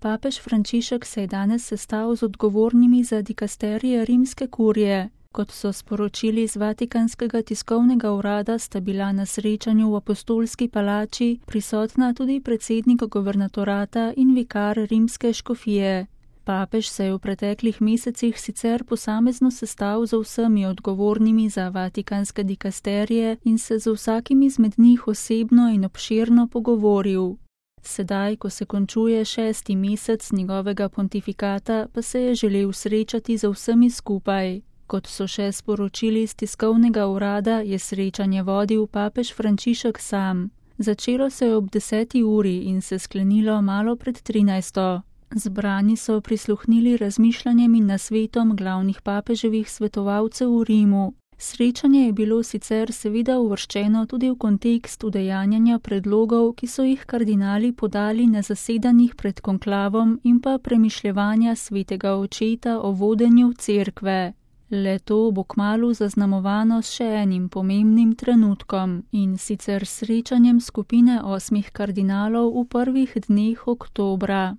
Papež Frančišek se je danes sestal z odgovornimi za dikasterije rimske kurije. Kot so sporočili z Vatikanskega tiskovnega urada, sta bila na srečanju v Apostolski palači prisotna tudi predsednik guvernatorata in vikar rimske škofije. Papež se je v preteklih mesecih sicer posamezno sestal z vsemi odgovornimi za vatikanske dikasterije in se z vsakim izmed njih osebno in obširno pogovoril. Sedaj, ko se končuje 6. mesec njegovega pontifikata, pa se je želel srečati z vsemi skupaj. Kot so še sporočili iz tiskovnega urada, je srečanje vodil papež Frančišek sam. Začelo se je ob 10. uri in se sklenilo malo pred 13. Zbrani so prisluhnili razmišljanjem in nasvetom glavnih papeževih svetovalcev v Rimu. Srečanje je bilo sicer seveda uvrščeno tudi v kontekst udejanjanja predlogov, ki so jih kardinali podali na zasedanjih pred konklavom in pa premišljevanja svetega očeta o vodenju cerkve. Le to bo kmalu zaznamovano s še enim pomembnim trenutkom, in sicer srečanjem skupine 8 kardinalov v prvih dneh oktobra.